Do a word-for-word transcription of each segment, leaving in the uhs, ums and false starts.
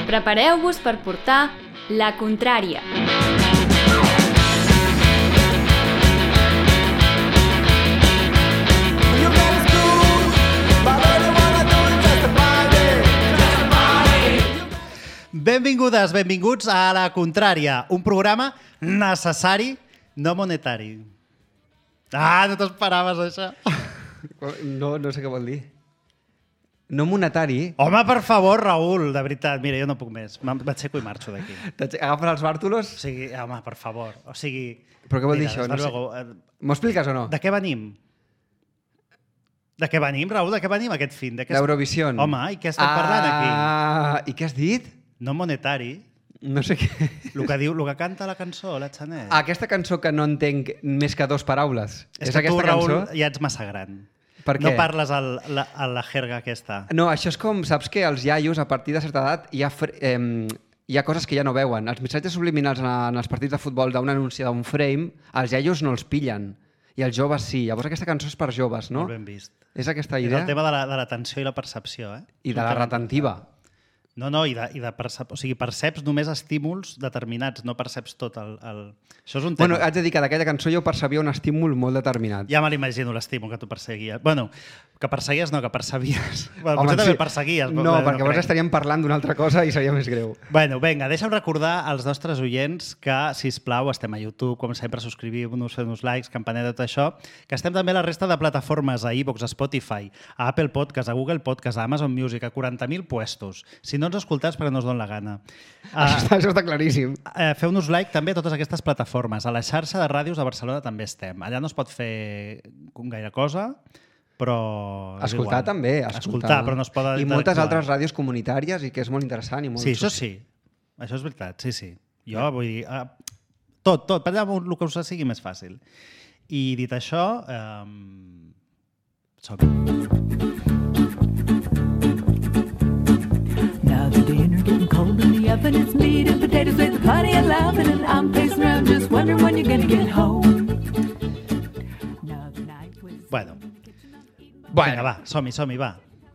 Prepareu-vos per portar la contrària. Benvingudes, benvinguts a La Contrària, un programa necessari, no monetari. Ah, no t'esperaves, això. No, no sé què vol dir. No monetari. Home, per favor, Raül, de veritat. Mira, jo no puc més. M'aixeco i marxo d'aquí. Agafes els bàrtolos? O sigui, home, per favor. O sigui... Però què vol dir mira, això? No sé. luego... M'ho expliques o no? De què venim? De què venim, Raül? De què venim aquest fin? De què... D'Eurovisió. Home, i què estem ah... parlant aquí? Ah, i què has dit? No monetari. No sé què. El que diu, el que canta la cançó, la Chanel. Aquesta cançó que no entenc més que dos paraules. És, és que aquesta tu, Raül, cançó? ja ets massa gran. Per què? No parles a la, a la jerga aquesta. No, això és com, saps que els iaios a partir de certa edat hi ha, eh, hi ha coses que ja no veuen. Els missatges subliminals en els partits de futbol d'un anunci d'un frame, els iaios no els pillen. I els joves sí. Llavors aquesta cançó és per joves, no? Molt ben vist. És aquesta idea? És el tema de la, de l'atenció i la percepció, eh? I de la retentiva. No, no, i de, i de percep... o sigui, perceps només estímuls determinats, no perceps tot el... el... Això és un tema. Bueno, haig de dir que d'aquella cançó jo percebia un estímul molt determinat. Ja me l'imagino, l'estímul que tu perseguies. Bueno, que perseguies no, que percebies. Bueno, Home, potser també sí. perseguies. No, no perquè llavors estaríem parlant d'una altra cosa i seria més greu. Bueno, vinga, deixa'm recordar als nostres oients que, sisplau, estem a YouTube, com sempre, subscriviu-nos, feu-nos likes, campaneta, tot això, que estem també a la resta de plataformes, a iVoox, a Spotify, a Apple Podcast, a Google Podcast, a Amazon Music, a quaranta mil puestos. Si no ens escoltàs, perquè no us dona la gana. Uh, això, està, això està claríssim. Uh, Feu-nos like també a totes aquestes plataformes. A la xarxa de ràdios de Barcelona també estem. Allà no es pot fer gaire cosa, però... Escoltar igual. també. Escoltar, escoltar, però no es pot... I moltes altres ràdios comunitàries i que és molt interessant. I molt sí, això sí. Això és veritat, sí, sí. Jo vull dir... Uh, tot, tot. Per allà el que us sigui més fàcil. I dit això... Um, som Now the dinner getting cold in the oven. It's meat and potatoes with plenty of loving, and I'm pacing around just wondering when you're gonna get home. Now the night was... Bueno. Bueno. Vinga, va, som-hi, som-hi, va.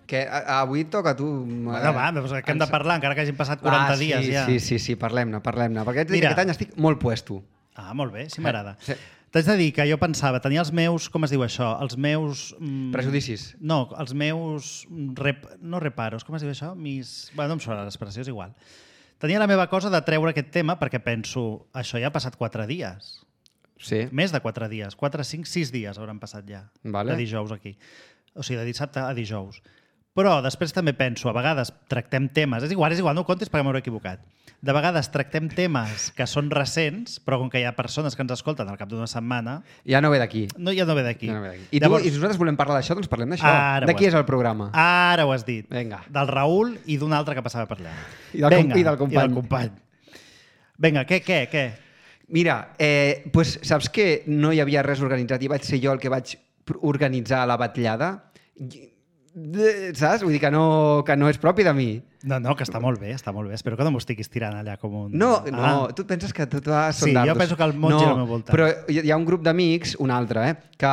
Que a, avui toca a tu... Bueno, va, doncs que hem de parlar, encara que hagin passat quaranta ah, sí, dies ja. Sí, sí, sí, parlem-ne, parlem-ne. Perquè Mira. aquest any estic molt puesto. Ah, molt bé, sí m'agrada. Sí. T'haig de dir que jo pensava, tenia els meus, com es diu això? Els meus... Mm, Prejudicis. No, els meus... Rep, no reparos, com es diu això? Mis... Bueno, no em sona l'expressió, és igual. Tenia la meva cosa de treure aquest tema perquè penso, això ja ha passat quatre dies. Sí. Més de quatre dies. Quatre, cinc, sis dies hauran passat ja. Vale. De dijous aquí. O sigui, de dissabte a dijous. Però després també penso, a vegades tractem temes... És igual, és igual, no ho comptis perquè m'hauré equivocat. De vegades tractem temes que són recents, però com que hi ha persones que ens escolten al cap d'una setmana... Ja no ve d'aquí. No, ja no ve d'aquí. Ja no ve d'aquí. I, Llavors... tu, I si nosaltres volem parlar d'això, doncs parlem d'això. De qui és el programa? Ara ho has dit. Vinga. Del Raül i d'un altre que passava per allà. I del, Vinga, i del company. I del company. Vinga, què, què, què? Mira, eh, pues, saps que no hi havia res organitzat i vaig ser jo el que vaig organitzar la batllada? Saps? Vull dir que no, que no és propi de mi. No, no, que està molt bé, està molt bé. Espero que no m'ho estiguis tirant allà com un... No, no, ah. tu et penses que tot va Sí, dardos. jo penso que el món no, gira al meu voltant. Però hi ha un grup d'amics, un altre, eh, que...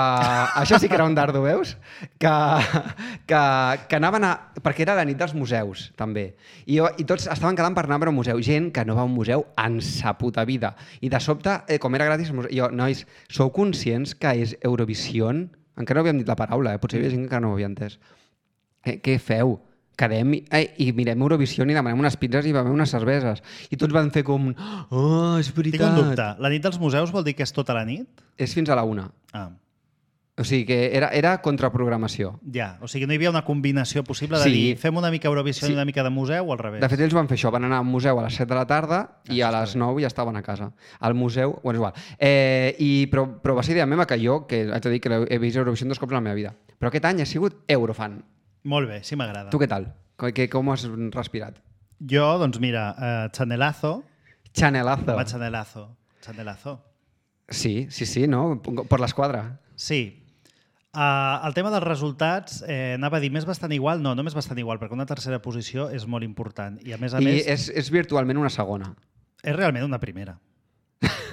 Això sí que era un dardo, veus? Que, que, que anaven a... Perquè era la nit dels museus, també. I, jo, i tots estaven quedant per anar a veure un museu. Gent que no va a un museu en sa puta vida. I de sobte, eh, com era gratis, jo, nois, sou conscients que és Eurovisió? Encara no havíem dit la paraula, eh? Potser hi havia gent que no ho havia entès. Eh, què feu? Quedem i, eh, i mirem Eurovisió i demanem unes pizzas i bevem unes cerveses. I tots van fer com... Oh, és veritat. Tinc un dubte. La nit dels museus vol dir que és tota la nit? És fins a la una. Ah. O sigui que era, era contraprogramació. Ja, o sigui, no hi havia una combinació possible de Sí. dir fem una mica Eurovisió Sí. i una mica de museu o al revés? De fet, ells van fer això. Van anar al museu a les set de la tarda i a les nou ja estaven a casa. Al museu... Bueno, és igual. Eh, i, però, però va ser idea meva que jo, que haig de dir que he vist Eurovisió dos cops a la meva vida, però aquest any he sigut eurofan. Molt bé, sí m'agrada. Tu què tal? Com, que, com has respirat? Jo, doncs mira, uh, Chanelazo. Chanelazo. Va, Chanelazo. Chanelazo. Sí, sí, sí, no? Per l'esquadra. Sí. Uh, el tema dels resultats, eh, anava a dir, més bastant igual? No, no més bastant igual, perquè una tercera posició és molt important. I a més a I més... és, és virtualment una segona. És realment una primera.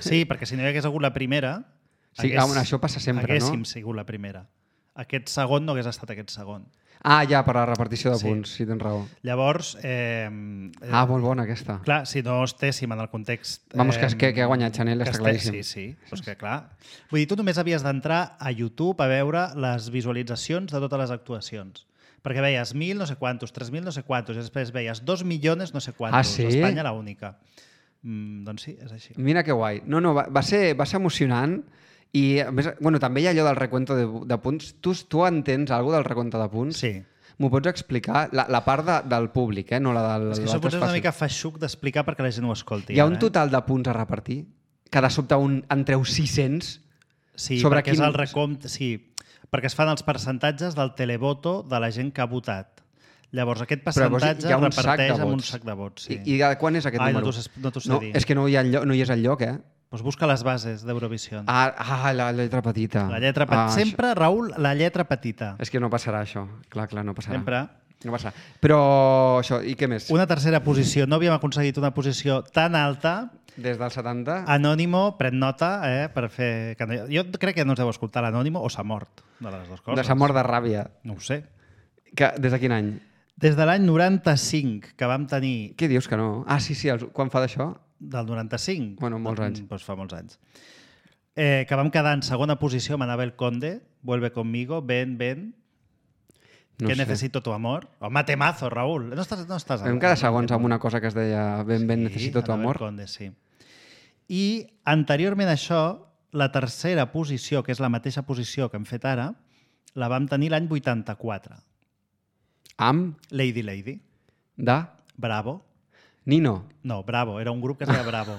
Sí, perquè si no hi hagués hagut la primera... Sí, hagués, això passa sempre, haguéssim no? sigut la primera. Aquest segon no hagués estat aquest segon. Ah, ja, per la repartició de Sí. punts, sí, tens raó. Llavors, eh, Ah, molt bona aquesta. clar, si no estéssim en el context... Vamos, que, que, que ha guanyat Chanel, que està este- claríssim. Sí, sí, doncs que clar. Vull dir, tu només havies d'entrar a YouTube a veure les visualitzacions de totes les actuacions. Perquè veies mil no sé quantos, tres mil no sé quantos, i després veies dos milions no sé quantos. Ah, sí? Espanya la única. Mm, doncs sí, és així. Mira que guai. No, no, va, va, ser, va ser emocionant i, a més, bueno, també hi ha allò del recuento de, de punts. Tu, tu entens alguna del recompte de punts? Sí. M'ho pots explicar? La, la part de, del públic, eh? No la del... És que l'altre això potser és una fàcil. mica feixuc d'explicar perquè la gent ho escolti. Hi ha ara, un total de punts a repartir? Que de sobte un, en treu sis-cents? Sí, sobre perquè quin- és el recompte... Sí, perquè es fan els percentatges del televoto de la gent que ha votat. Llavors, aquest Però llavors percentatge hi ha un es sac de reparteix amb un vots. sac de vots. Sí. I, I de quan és aquest Ai, no número? t'ho sé- no t'ho sé no, dir. és que no hi, ha enlloc, no hi és el lloc, eh? Doncs busca les bases d'Eurovisió. Ah, ah, la lletra petita. La lletra ah, petita. això- Sempre, Raül, la lletra petita. És que no passarà això. Clar, clar, no passarà. Sempre. No passarà. Però això, i què més? Una tercera posició. No havíem aconseguit una posició tan alta. Des del setanta? Anònimo, pren nota, eh, per fer... que no- Jo crec que no ens deu escoltar l'Anònimo o s'ha mort, de les dues coses. De sa mort de ràbia. No ho sé. Que, des de quin any? Des de l'any noranta-cinc, que vam tenir... Què dius que no? Ah, sí, sí, els, quan fa d'això? Del noranta-cinc? Bueno, molts anys. Mm, Doncs fa molts anys. Eh, que vam quedar en segona posició amb Anabel Conde, Vuelve conmigo, ven, ven, No que sé. necesito tu amor. Home, temazo, Raül. No estàs, no estàs Vam quedar segons amb una cosa que es deia Ben, ben, Sí, necessito tu Anabel amor. Conde, sí. I anteriorment a això, la tercera posició, que és la mateixa posició que hem fet ara, la vam tenir l'any vuitanta-quatre. Amb, Lady Lady. de, Bravo. Nino. No, Bravo. Era un grup que es deia Bravo.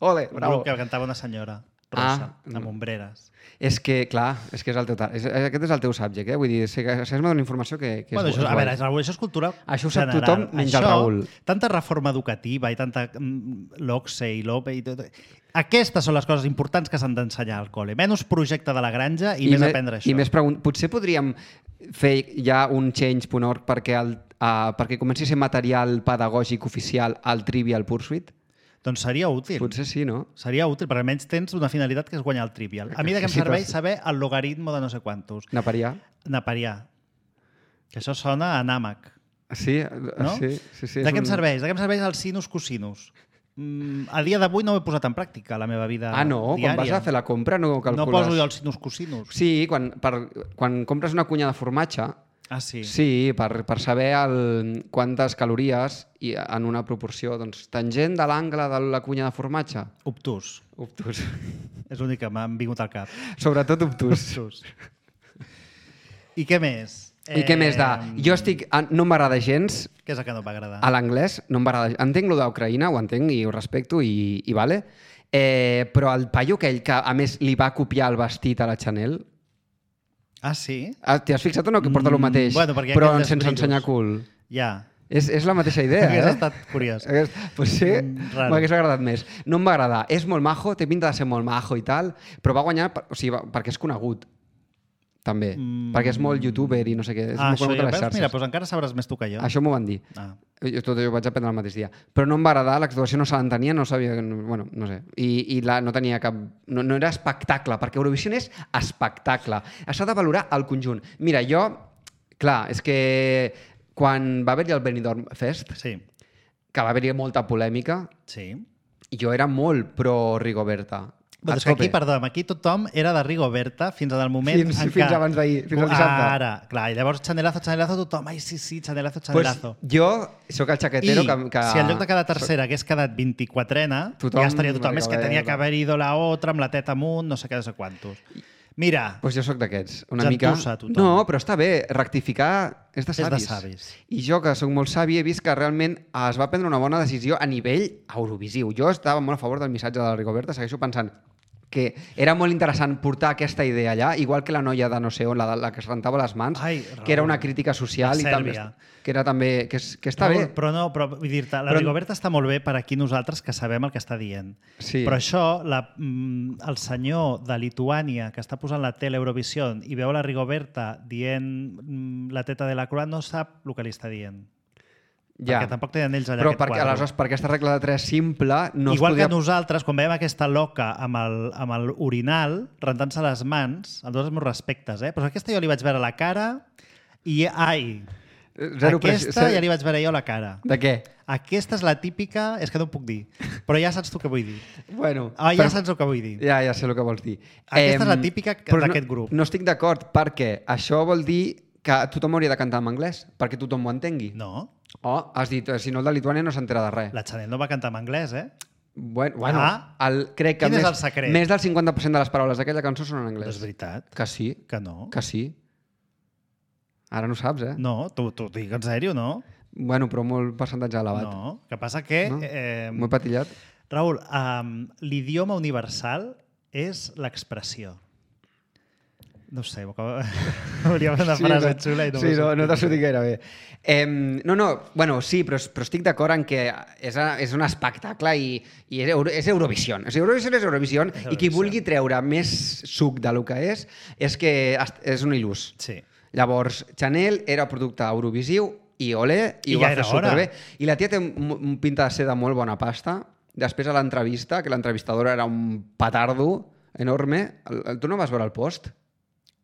Ole, Un bravo. grup que cantava una senyora rosa, Ah, amb ombreres. És que, clar, és que és el teu, ta- és, aquest és el teu subject, eh? Vull dir, sé que això és una informació que, que Bueno, és, això, és a veure, guai. és, Raül, això és cultura Això ho sap general. tothom menys el Això, Raül. Tanta reforma educativa i tanta mm, l'Ocse i l'O P E i tot... Aquestes són les coses importants que s'han d'ensenyar al col·le. Menys projecte de la granja i, I més me- aprendre això. I més pregun- Potser podríem fer ja un change punt org perquè, el, uh, perquè comenci a ser material pedagògic oficial al Trivial Pursuit? Doncs seria útil. Potser sí, no? Seria útil, perquè almenys tens una finalitat que és guanyar el trivial. A mi de què em Sí, serveix però- saber el logaritmo de no sé quantos. Naparià? Naparià. Que això sona a nàmac. Sí, No? sí, sí, sí. de és què em un- serveix? De què em serveix el sinus cosinus? Mm, a dia d'avui no ho he posat en pràctica, la meva vida Ah, no? diària. Quan vas a fer la compra no calcules... No poso jo el sinus cosinus. Sí, quan, per, quan compres una cunya de formatge, Ah, sí. sí, per, per saber el, quantes calories i en una proporció. Doncs tangent de l'angle de la cunya de formatge, Obtús. obtús. És l'únic que m'ha vingut al cap. Sobretot obtús. Obtús. I què més? I què més de... Jo estic... No m'agrada gens Què és el que no m'agrada? a l'anglès, no m'agrada... Entenc lo d'Ucraïna, ho entenc i ho respecto i, i vale, eh, però el paio aquell que a més li va copiar el vestit a la Chanel, Ah, sí? ah, t'hi has fixat o no que porta el Mm, mateix, bueno, perquè hi ha però aquells sense brillos. ensenyar cul? Ja. És, és la mateixa idea, Hauria eh? estat curiós. Hagués- Pues sí, Mm, raro. m'hagués agradat més. No em va agradar. És molt majo, té pinta de ser molt majo i tal, però va guanyar per, o sigui, va, perquè és conegut, també. Mm. Perquè és molt youtuber i no sé què. És Ah, molt això conegut ja a les veus? xarxes. Mira, doncs encara sabràs més tu que jo. Això m'ho van dir. Ah. Jo, tot jo ho vaig aprendre el mateix dia. Però no em va agradar, l'actuació no se l'entenia, no sabia... Bueno, no sé. I, i la, no tenia cap... No, no era espectacle, perquè Eurovisió és espectacle. S'ha de valorar el conjunt. Mira, jo... Clar, és que quan va haver-hi el Benidorm Fest, Sí. que va haver-hi molta polèmica, Sí. jo era molt pro Rigoberta. Però A és que aquí, tope. perdó, aquí tothom era de Rigoberta fins al moment Fins- en fins què... abans d'ahir, fins al dissabte. Ara, clar, i llavors Chanelazo, Chanelazo, tothom, ai, sí, sí, Chanelazo, Pues Chanelazo. jo sóc el xaquetero I que, que... si en lloc de quedar tercera hagués quedat vint-i-quatrena, Tothom ja estaria tothom, és que tenia que Rigoberta. haver ido la otra, amb la teta amunt, no sé què, no sé quantos. Mira, Pues jo sóc d'aquests, una mica... Gentussa, tothom. No, però està bé, rectificar és de És de savis. savis. I jo, que sóc molt savi, he vist que realment es va prendre una bona decisió a nivell eurovisiu. Jo estava molt a favor del missatge de la Rigoberta, segueixo pensant que era molt interessant portar aquesta idea allà, igual que la noia de no sé on, la, la que es rentava les mans, Ai, que era Raül. una crítica social De i també, Sèrbia. que era també que, és, que està Raül, bé. però no, però vull dir-te, la Però- Rigoberta està molt bé per aquí nosaltres que sabem el que està dient. Sí. Però això, la, mm, el senyor de Lituània que està posant la tele Eurovisió i veu la Rigoberta dient mm, la teta de la Croix no sap el que li està dient. Ja. Perquè tampoc tenen ells allà Però aquest perquè, quadre. aleshores, per aquesta regla de tres simple no Igual es podia... que nosaltres, quan veiem aquesta loca amb el, amb el urinal, rentant-se les mans, amb tots els meus respectes, eh? Però aquesta jo li vaig veure la cara I, ai, Zero aquesta pressió. ja li vaig veure jo la cara. De què? Aquesta és la típica... És que no ho puc dir, però ja saps tu què vull dir. Bueno, Ah, ja però- saps el que vull dir. Ja, ja sé el que vols dir. Aquesta és la Em, típica però d'aquest no, grup. No estic d'acord, perquè això vol dir que tothom hauria de cantar en anglès, perquè tothom ho entengui. No, Oh, has dit, eh, si no el de Lituània no s'entera de res. la Chanel no va cantar en anglès, eh? Bueno, bueno Ah. el, crec que Quin és més, el secret? més del cinquanta per cent de les paraules d'aquella cançó són en No anglès. és veritat. Que sí, Que no. que sí. Ara no saps, eh? No, t'ho t'ho dic en sèrio, no? Bueno, però molt percentatge elevat. No. Que passa que... No? Eh, Molt patillat. Raül, um, l'idioma universal és l'expressió. No ho sé, hauria de fer una frase no, xula i no sí, m'ho no, sé. no t'ha sortit gaire bé. Eh, no, no, bueno, sí, però, però estic d'acord en que és, a, és un espectacle i, i és, Euro, és Eurovisió. O sigui, Eurovisió és Eurovisió i qui Eurovisió. vulgui treure més suc del que és, és que est- és un il·lús. Sí. Llavors, Chanel era producte eurovisiu i olé, i, I ho va ja fer era hora. superbé. I la tia té un, un pinta de ser de molt bona pasta. Després a l'entrevista, que l'entrevistadora era un petardo enorme. El, el, tu no vas veure el post?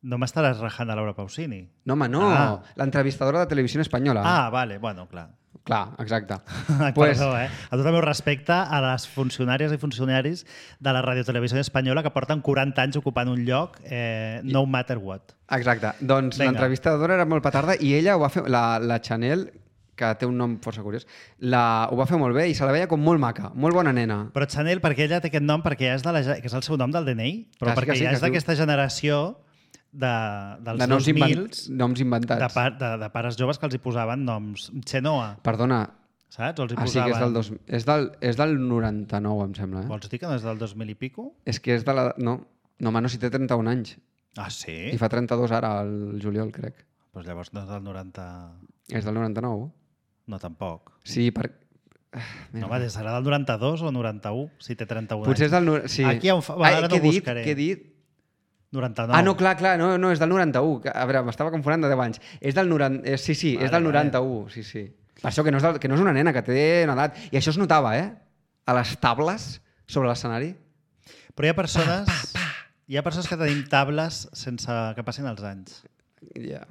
No m'estaràs rajant a Laura Pausini. No, home, no. Ah. L'entrevistadora de Televisió Espanyola. Ah, vale, bueno, clar. Clar, exacte. Ai, Pues- perdó, eh? A tot el meu respecte a les funcionàries i funcionaris de la Radiotelevisió Espanyola que porten quaranta anys ocupant un lloc, eh, no matter what. Exacte. Doncs Vinga. l'entrevistadora era molt petarda i ella ho va fer... La, la Chanel, que té un nom força curiós, la, ho va fer molt bé i se la veia com molt maca, molt bona nena. Però Chanel, perquè ella té aquest nom, perquè ja és, de la, ge- que és el seu nom del D N I, però Que sí, perquè que sí, ja que és es diu- d'aquesta generació de, dels De noms, dos mil, invent, noms inventats. de, pa, de, de pares joves que els hi posaven noms Xenoa, Perdona, saps? O els hi ah, sí que posaven... és del, dos, és, del, és del noranta-nou, em sembla. Eh? Vols dir que no és del dos mil i pico? És que és de la... No, no, home, no, si té trenta-un anys. Ah, sí? I fa trenta-dos ara, el juliol, crec. Doncs llavors no és del noranta... És del noranta-nou? No, tampoc. Sí, per... Ah, No, va, serà del noranta-dos o noranta-u, si té trenta-un Potser és anys. del... nor- Sí. Aquí hi ha un fa- va, Ai, ara què no he dit? buscaré. Què he dit? noranta-nou. Ah, no, clar, clar, no, no, és del noranta-u. A veure, m'estava confonent de deu anys. És del noranta... eh, Sí, sí, Vale, és del vale. noranta-u, sí, sí. Per això que no, és del, que no és una nena, que té una edat. I això es notava, eh? A les tables sobre l'escenari. Però hi ha persones... Hi ha persones que tenim tables sense que passin els anys. Ja.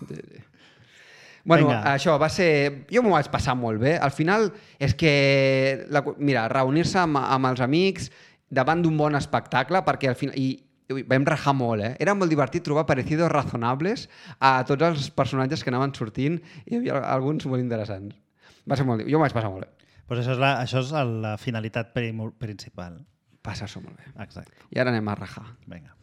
Sí, sí. Bueno, Vinga. això va ser... Jo m'ho vaig passar molt bé. Al final és que... La... Mira, reunir-se amb, amb els amics davant d'un bon espectacle, perquè al final... I, i vam rajar molt, eh? Era molt divertit trobar parecidos razonables a tots els personatges que anaven sortint i hi havia alguns molt interessants. Va ser molt... Jo m'ho vaig passar molt bé. Pues això és la, això és la finalitat prim- principal. Passar-s'ho molt bé. Exacte. I ara anem a rajar. Vinga.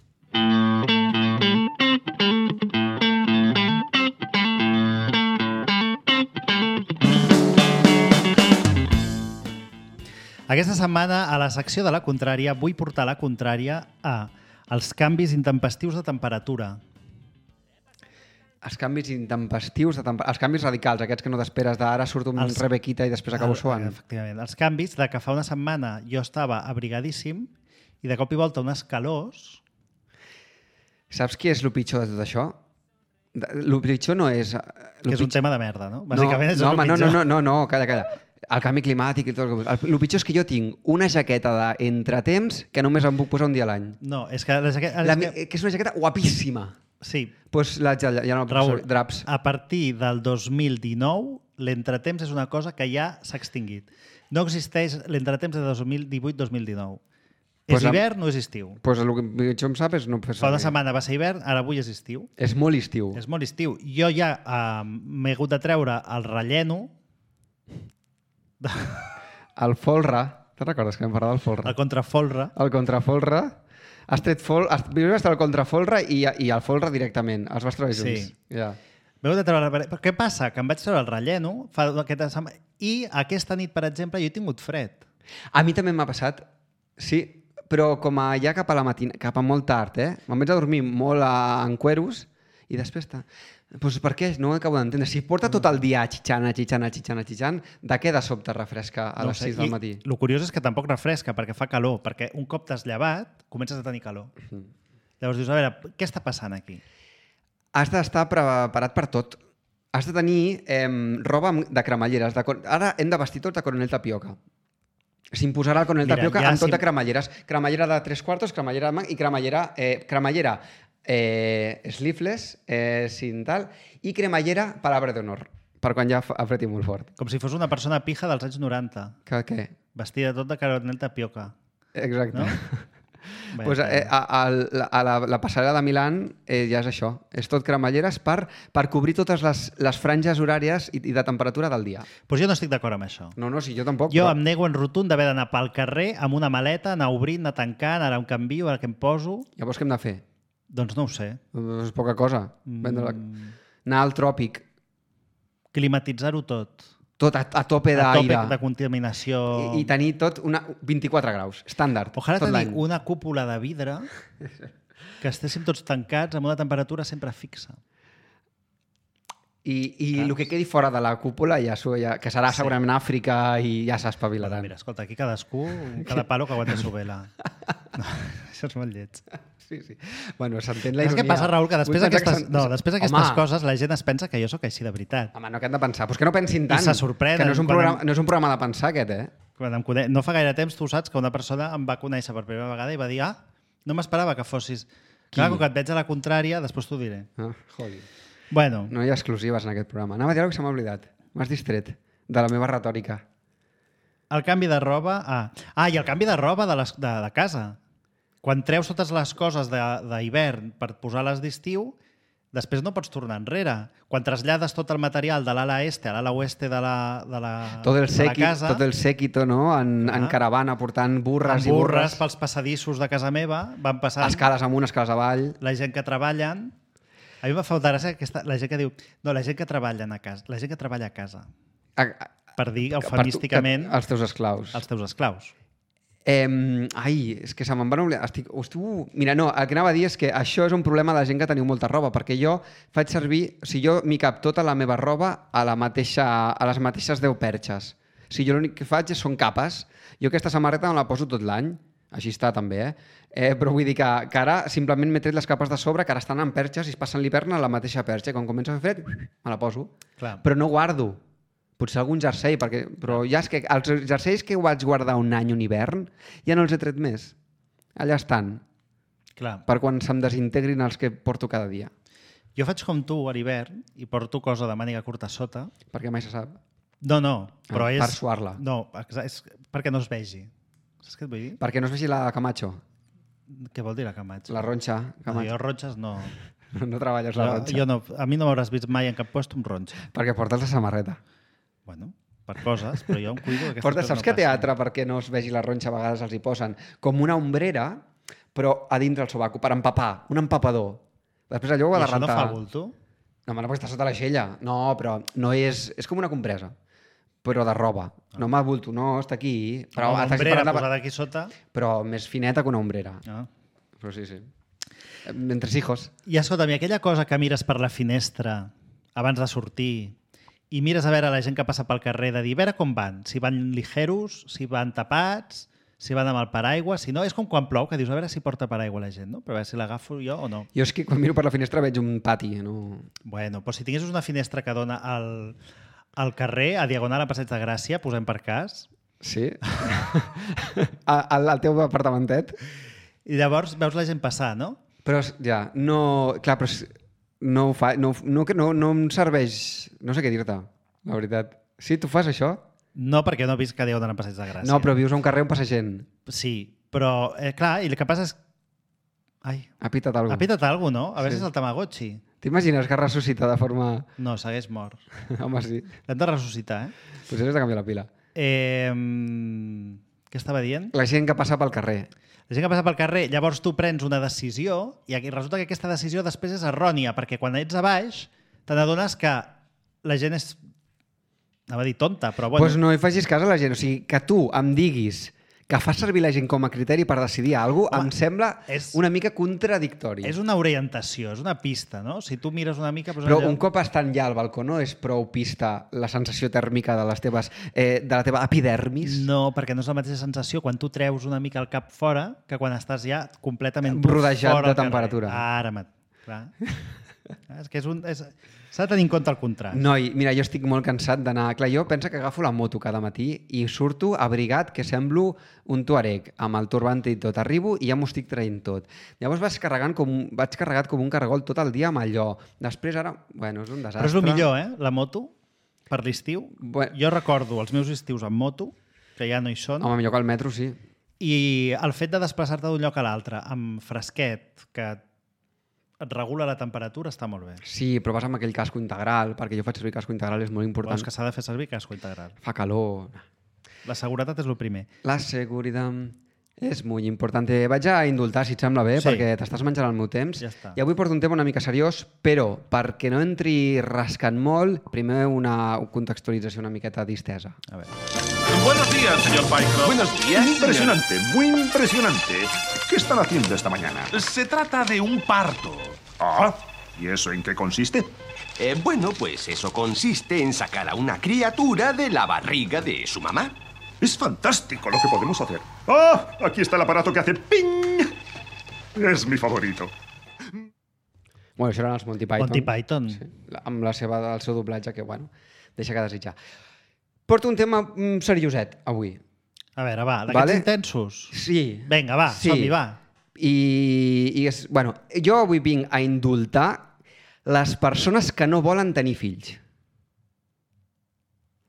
Aquesta setmana, a la secció de la contrària, vull portar la contrària a els canvis intempestius de temperatura. Els canvis intempestius, de temp... els canvis radicals, aquests que no t'esperes d'ara surt un Els- rebequita i després acabo El- suant. Efectivament. Els canvis de que fa una setmana jo estava abrigadíssim i de cop i volta unes calors... Saps què és el pitjor de tot això? El pitjor no és... Que és un tema de merda, no? Bàsicament és no, el home, no, pitjor. no, no, no, calla, calla. El canvi climàtic i tot el que... El, el pitjor és que jo tinc una jaqueta d'entretemps que només em puc posar un dia a l'any. No, és que... La jaqueta, La, és mi- que... que és una jaqueta guapíssima. Sí, Doncs pues la, ja, ja no la puc Raül, posar. Draps. a partir del dos mil dinou, l'entretemps és una cosa que ja s'ha extingit. No existeix l'entretemps de dos mil divuit dos mil dinou. Pues és amb- hivern o és estiu? Doncs pues el que pitjor em sap és no fer Fa una servir. setmana va ser hivern, ara avui és estiu. És molt estiu. És molt estiu. Jo ja eh, m'he hagut de treure el relleno, El folre. Te'n recordes que vam parlar del folre? el contrafolre, El contrafolre. Has tret fol... Has... Primer vas treure el contrafolre i, i el folre directament. Els vas treure Sí. junts. Ja. m'he hagut de treure... el- Però què passa? Que em vaig treure el relleno fa aquesta setmana i aquesta nit, per exemple, jo he tingut fred. A mi també m'ha passat, sí, però com a ja cap a la matina, cap a molt tard, eh? Me'n vaig a dormir molt a, en cueros i després està... Pues per què? No ho acabo d'entendre. Si porta tot el dia xitxant, xitxant, xitxant, xitxant, de què de sobte refresca a No ho les sé. sis del I matí? El curiós és que tampoc refresca, perquè fa calor, perquè un cop t'has llevat, comences a tenir calor. Mhm. Llavors dius, a veure, què està passant aquí? Has d'estar preparat per tot. Has de tenir eh, roba amb- de cremalleres. De... cor- Ara hem de vestir tots de coronel tapioca. S'imposarà el coronel Mira, tapioca ja amb tot si- de cremalleres. Cremallera de tres quartos, cremallera de mà i cremallera... Eh, cremallera eh, sleeveless, eh, sin tal, i cremallera, palabra d'honor, per quan ja fa- apreti molt fort. Com si fos una persona pija dels anys noranta, Que què? vestida tot de caronel tapioca. Exacte. No? No? Pues, eh, a, a, a la, la passarel·la de Milan eh, ja és això. És tot cremalleres per, per cobrir totes les, les franges horàries i, i de temperatura del dia. Pues jo no estic d'acord amb això. No, no, sí, jo tampoc. Jo però... em nego en rotund d'haver d'anar pel carrer amb una maleta, anar obrint, anar tancant, ara em canvio, ara que em poso... Llavors què hem de fer? Doncs no ho sé. És poca cosa. Vendre la... Anar al tròpic. Climatitzar-ho tot. Tot a, a tope A tope d'aire. de contaminació. I, I tenir tot una, vint-i-quatre graus, estàndard. Ojalà tot tenir l'any. una cúpula de vidre que estéssim tots tancats amb una temperatura sempre fixa. I, i Clar. el que quedi fora de la cúpula, ja, s'ho- ja, que serà segurament Àfrica i ja s'espavilaran. Mira, escolta, aquí cadascú, cada palo que aguanta su vela. No, això és molt lleig. Sí, sí. Bueno, s'entén la Saps ironia. què passa, Raül? Que després Vull pensar d'aquestes que no, són- després d'aquestes Home, coses la gent es pensa que jo sóc així de veritat. Home, no, que han de pensar. Pues que no pensin tant. se sorprenen Que no és, un quan programa, em- no és un programa de pensar, aquest, eh? Quan em cone... No fa gaire temps, tu saps que una persona em va conèixer per primera vegada i va dir ah, no m'esperava que fossis... Clar, com que et veig a la contrària, després t'ho diré. Ah, joli. Bueno, No hi ha exclusives en aquest programa. Anava a dir alguna cosa que se m'ha oblidat. M'has distret de la meva retòrica. el canvi de roba... Ah, ah i el canvi de roba de, les, de, de casa. Quan treus totes les coses de- d'hivern per posar-les d'estiu, després no pots tornar enrere. Quan trasllades tot el material de l'ala este a l'ala oeste de la, de la, Tot el, de la sequi, casa, tot el séquito, no? En, en Ah. caravana, portant burres amb i burres burres. pels passadissos de casa meva, van passant Escales amunt, escales avall. la gent que treballen... A mi em fa falta gràcia aquesta, la gent que diu no, la gent que treballa a casa, la gent que treballa a casa, A, a, per dir per tu- eufemísticament que- els teus esclaus. els teus esclaus. Eh, ai, és que se me'n van oblidar. Estic, hostu, mira, no, el que anava a dir és que això és un problema de gent que teniu molta roba, perquè jo faig servir, si jo m'hi cap tota la meva roba a, la mateixa, a les mateixes deu perxes. Si jo l'únic que faig són capes. Jo aquesta samarreta no la poso tot l'any, així està també, eh? eh però vull dir que, que ara simplement m'he tret les capes de sobre, que ara estan en perxes i es passen l'hivern a la mateixa perxa. I quan comença a fer fred, me la poso. Clar. Però no guardo. Potser algun jersei, perquè, però ja és que els jerseis que vaig guardar un any, un hivern, ja no els he tret més. Allà estan, Clar. per quan se'm desintegrin els que porto cada dia. Jo faig com tu a l'hivern i porto cosa de màniga curta a sota. Perquè mai se sap. No, no, però Ah, és... per suar-la. No, exa- és perquè no es vegi. Saps què et vull dir? Perquè no es vegi la Camacho, Què vol dir la Camacho? la ronxa. No, Camacho. jo ronxes no. No, no treballes la Jo, ronxa. jo no. A mi no m'hauràs vist mai en cap puesto amb ronxa. Perquè portes la samarreta. Bueno, per coses, però jo em cuido que aquestes Portes, coses saps no que a passin. teatre, perquè no es vegi la ronxa, a vegades els hi posen com una ombrera, però a dintre el sobaco, per empapar, un empapador. Després allò ho I ha de això no rentar. fa bulto? No, home, no, perquè està sota l'aixella. No, però no és... És com una compresa, però de roba. No m'ha bulto, no, està aquí. Però, Una t'has ombrera parlat de- posada aquí sota? però més fineta que una ombrera. Ah. Però sí, sí. Entre hijos. I escolta'm, i aquella cosa que mires per la finestra abans de sortir i mires a veure la gent que passa pel carrer de dir, a veure com van, si van ligeros, si van tapats, si van amb el paraigua, si no, és com quan plou, que dius, a veure si porta paraigua la gent, no? Però a veure si l'agafo jo o no. Jo és que quan miro per la finestra veig un pati. No... Bueno, però si tinguessis una finestra que dona al, al carrer, a diagonal a Passeig de Gràcia, posem per cas, Sí? al, al teu apartamentet? i llavors veus la gent passar, no? Però ja, no... Clar, però és- no ho fa... No, no, que no, no em serveix... No sé què dir-te, la veritat. Sí, tu fas això? No, perquè no he vist que diagonal a Passeig de Gràcia. No, però vius a un carrer on passa gent. Sí, però, eh, clar, i el que passa és... Ai, Ha pitat alguna ha pitat alguna cosa, no? A veure Sí. si és el Tamagotchi. T'imagines que ressuscita de forma... No, segueix mort. Home, sí. L'hem de ressuscitar, eh? Potser has de canviar la pila. eh mm, què estava dient? La gent que passa pel carrer. La gent que passa pel carrer, llavors tu prens una decisió i aquí resulta que aquesta decisió després és errònia, perquè quan ets a baix te n'adones que la gent és... Anava a dir tonta, però Doncs bueno... pues no hi facis cas a la gent. O sigui, que tu em diguis que fas servir la gent com a criteri per decidir alguna cosa, Home, em sembla és- una mica contradictori. És una orientació, és una pista, no? Si tu mires una mica... Doncs Però allò... un cop estant ja al balcó no és prou pista la sensació tèrmica de les teves eh, de la teva epidermis? No, perquè no és la mateixa sensació quan tu treus una mica el cap fora que quan estàs ja completament tu Rodejat fora de al carrer. temperatura. Ara, mat... clar. És que és un... És... S'ha de tenir en compte el contrast. Noi, mira, jo estic molt cansat d'anar... Clar, jo penso que agafo la moto cada matí i surto abrigat que semblo un tuareg, amb el turbante i tot. Arribo i ja m'ho estic traient tot. Llavors vaig, carregant com, vaig carregat com un caragol tot el dia amb allò. Després ara, bueno, és un desastre. Però és el millor, eh? La moto, per l'estiu. Bueno. Jo recordo els meus estius amb moto, que ja no hi són, Home, millor que el metro, sí. i el fet de desplaçar-te d'un lloc a l'altre amb fresquet, que et regula la temperatura, està molt bé. Sí, però vas amb aquell casco integral, perquè jo faig servir casco integral, és molt important. Però és que s'ha de fer servir casco integral. Fa calor. La seguretat és el primer. La seguretat és molt important. Vaig a indultar, si et sembla bé, Sí. perquè t'estàs menjant el meu temps. Ja està. I avui porto un tema una mica seriós, però perquè no entri rascant molt, primer una contextualització una miqueta distesa. A veure. Buenos días, señor Pycroft. Buenos días. Impresionante, muy impresionante. ¿Qué están haciendo esta mañana? Se trata de un parto. Ah, ¿y eso en qué consiste? Eh, bueno, pues eso consiste en sacar a una criatura de la barriga de su mamá. Es fantástico lo que podemos hacer. ¡Ah! Aquí está el aparato que hace ping. Es mi favorito. Bueno, això eren els Monty Python. Monty Python. Sí, la- amb la seva, el seu doblatge, que, bueno, deixa que desitjar. Porto un tema mm, serioset, avui. A veure, va, d'aquests Vale. intensos. Sí. Vinga, va, Sí. som-hi, va. I, i és, bueno, jo avui vinc a indultar les persones que no volen tenir fills.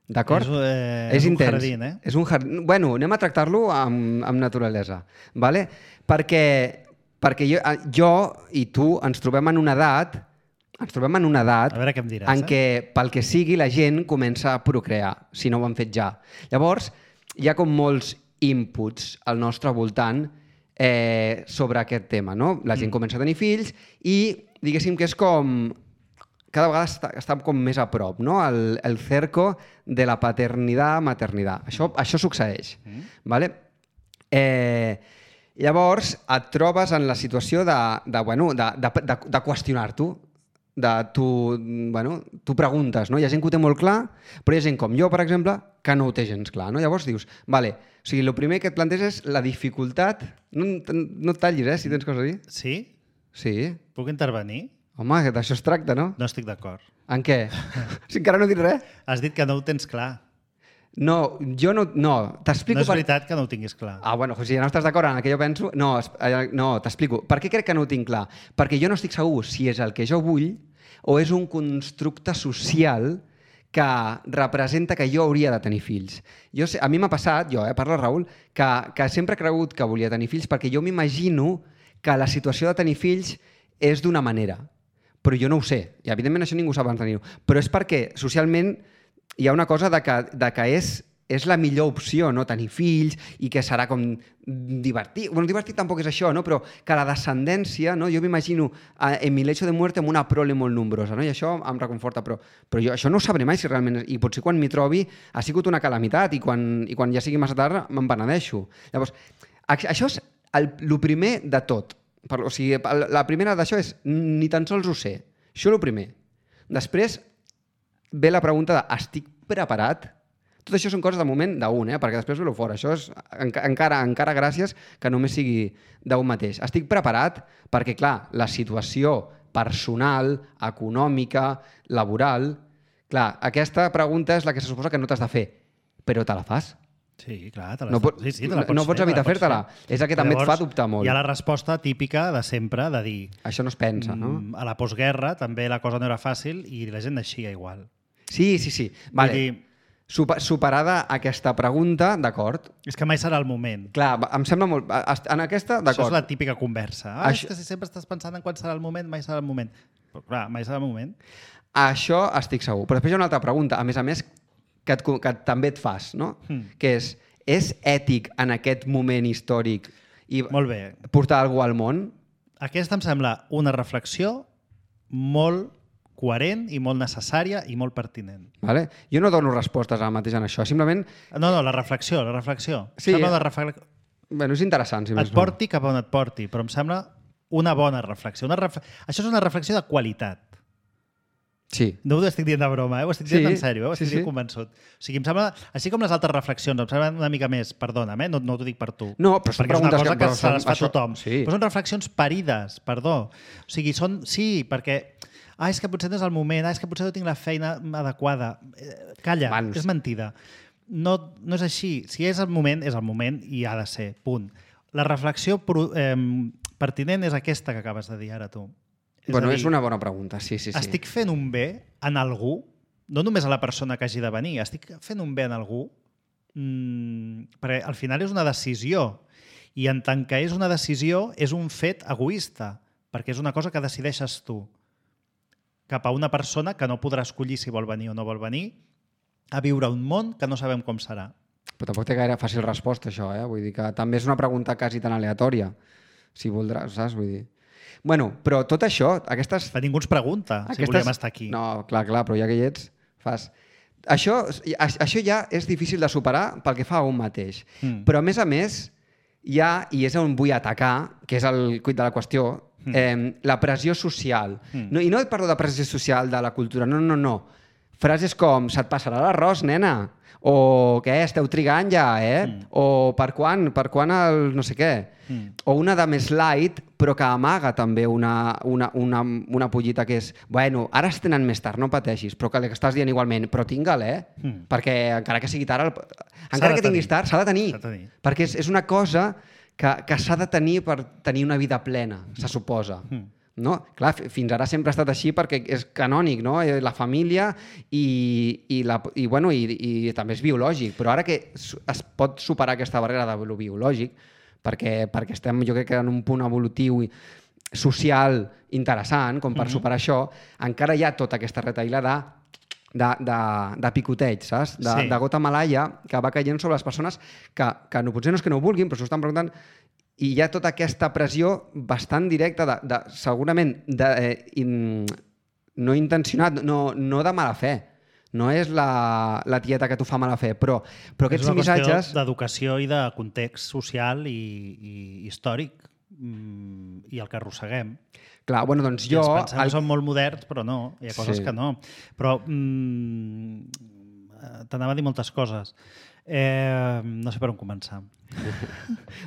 D'acord? És, eh, és un intens. jardín, eh? És un jardín. Bueno, anem a tractar-lo amb, amb naturalesa. Vale? Perquè, perquè jo, jo i tu ens trobem en una edat ens trobem en una edat A veure què em diràs, en eh? què, pel que sigui, la gent comença a procrear, si no ho han fet ja. Llavors, hi ha com molts inputs al nostre voltant eh, sobre aquest tema, no? La gent mm. comença a tenir fills i, diguéssim que és com... Cada vegada està, està com més a prop, no? El, el cerco de la paternitat-maternitat. Això, això succeeix. Mm. Vale? Eh, llavors, et trobes en la situació de, de, bueno, de, de, de, de qüestionar-t'ho. De tu, bueno, tu preguntes, no? Hi ha gent que ho té molt clar, però hi ha gent com jo, per exemple, que no ho té gens clar, no? Llavors dius, vale, o sigui, el primer que et planteges és la dificultat... No, no et tallis, eh, si tens coses a dir. Sí? Sí. Puc intervenir? Home, que d'això es tracta, no? No estic d'acord. En què? Si encara no he dit res? Has dit que no ho tens clar. No, jo no... No, t'explico... No és veritat que no ho tinguis clar. Ah, bueno, si ja no estàs d'acord en el que jo penso... No, es- eh, no t'explico. Per què crec que no ho tinc clar? Perquè jo no estic segur si és el que jo vull o és un constructe social que representa que jo hauria de tenir fills. Jo sé, a mi m'ha passat, jo, eh, parla Raül, que, que sempre he cregut que volia tenir fills perquè jo m'imagino que la situació de tenir fills és d'una manera. Però jo no ho sé. I, evidentment, això ningú sap abans de tenir-ho. Però és perquè, socialment, hi ha una cosa de que, de que és, és la millor opció, no? Tenir fills i que serà com divertit. Bueno, divertit tampoc és això, no? Però que la descendència, no? Jo m'imagino eh, en mi lecho de muerte amb una prole molt nombrosa, no? I això em reconforta. Però, però jo això no ho sabré mai si realment... I potser quan m'hi trobi ha sigut una calamitat i quan, i quan ja sigui massa tard me'n penedeixo. Llavors, això és el, el primer de tot. Per, o sigui, la primera d'això és ni tan sols ho sé. Això és el primer. Després ve la pregunta de estic preparat? Tot això són coses de moment d'un, eh? Perquè després ve-lo fora. Això és enca encara, encara gràcies que només sigui d'un mateix. Estic preparat perquè, clar, la situació personal, econòmica, laboral... Clar, aquesta pregunta és la que se suposa que no t'has de fer, però te la fas. Sí, clar, te No, pot, sí, sí, te la pots no pots fer, evitar te la pots fer-te-la. fer. És el que també Llavors, et fa dubtar molt. Hi ha la resposta típica de sempre de dir Això no es pensa, no? mm, a la postguerra també la cosa no era fàcil i la gent naixia igual. Sí, sí, sí. Vale. Vull dir, Supa superada aquesta pregunta, d'acord. és que mai serà el moment. Clar, va- em sembla molt... En aquesta, Això és d'acord. la típica conversa. Ah, Això- és que si sempre estàs pensant en quan serà el moment, mai serà el moment. Però clar, mai serà el moment. Això estic segur. Però després hi ha una altra pregunta, a més a més, que, et, que també et fas, no? Hmm. Que és, és ètic en aquest moment històric i Molt bé. portar algú al món? Aquesta em sembla una reflexió molt coherent i molt necessària i molt pertinent. Vale? Jo no dono respostes ara mateix en això, simplement... No, no, la reflexió, la reflexió. Sí. Em sembla una refle... Bueno, és interessant, si més Et porti cap a on et porti, però em sembla una bona reflexió. Una ref... Això és una reflexió de qualitat. Sí. No ho estic dient de broma, eh? Ho estic dient Sí, en sèrio, eh? Ho estic sí, dient sí. convençut. O sigui, em sembla, així com les altres reflexions, em semblen una mica més, perdona'm, eh? no, no t'ho dic per tu. No, però són perquè és una preguntes cosa que- que, però se són- les fa això- tothom. sí. Però són reflexions parides, perdó. O sigui, són... Sí, perquè ah, és que potser no és el moment, ah, és que potser no tinc la feina adequada. Eh, calla, Mans. és mentida. No, no és així. Si és el moment, és el moment i ha de ser, punt. La reflexió eh, pertinent és aquesta que acabes de dir ara tu. És Bueno, dir, és una bona pregunta, sí, sí, sí. estic fent un bé en algú, no només a la persona que hagi de venir, estic fent un bé en algú, mmm, perquè al final és una decisió, i en tant que és una decisió, és un fet egoista, perquè és una cosa que decideixes tu cap a una persona que no podrà escollir si vol venir o no vol venir a viure un món que no sabem com serà. Però tampoc té gaire fàcil resposta, això, eh? Vull dir que també és una pregunta quasi tan aleatòria, si voldràs, saps? Vull dir... Bueno, però tot això, aquestes... Que ningú ens pregunta si aquestes... volíem estar aquí. No, clar, clar, però ja que hi ets, fas... Això, això ja és difícil de superar pel que fa a un mateix. Mm. Però, a més a més, hi ha, i és on vull atacar, que és el quid de la qüestió, mm. eh, la pressió social. Mm. No, I no et parlo de pressió social de la cultura, no, no, no. Frases com, se't passarà l'arròs, nena, o què, esteu trigant ja, eh? Mm. O per quan, per quan el no sé què. Mm. O una de més light, però que amaga també una, una, una, una pollita que és, bueno, ara es tenen més tard, no pateixis, però que estàs dient igualment, però tingue'l, eh? Mm. Perquè encara que sigui tard, el... encara que tinguis tard, s'ha de tenir. S'ha de tenir. Perquè és, és una cosa que, que s'ha de tenir per tenir una vida plena, se suposa. Mm. No? Clar, fins ara sempre ha estat així perquè és canònic, no? La família i, i, la, i, bueno, i, i també és biològic, però ara que es pot superar aquesta barrera de lo biològic, perquè, perquè estem, jo crec que en un punt evolutiu social interessant, com per mm-hmm. superar això, encara hi ha tota aquesta retaïla de, de, de, de picoteig, saps? De, sí. de gota malaia que va caient sobre les persones que, que no, potser no és que no ho vulguin, però s'ho estan preguntant. I hi ha tota aquesta pressió bastant directa, de, de, segurament de, eh, in, no intencionat, no, no de mala fe. No és la, la tieta que t'ho fa mala fe, però, però aquests missatges... És una qüestió d'educació i de context social i, i històric i el que arrosseguem. Clar, bueno, doncs jo... I ens pensem el... que són molt moderns, però no, hi ha coses sí. que no. Però mm, t'anava a dir moltes coses. Eh, no sé per on començar.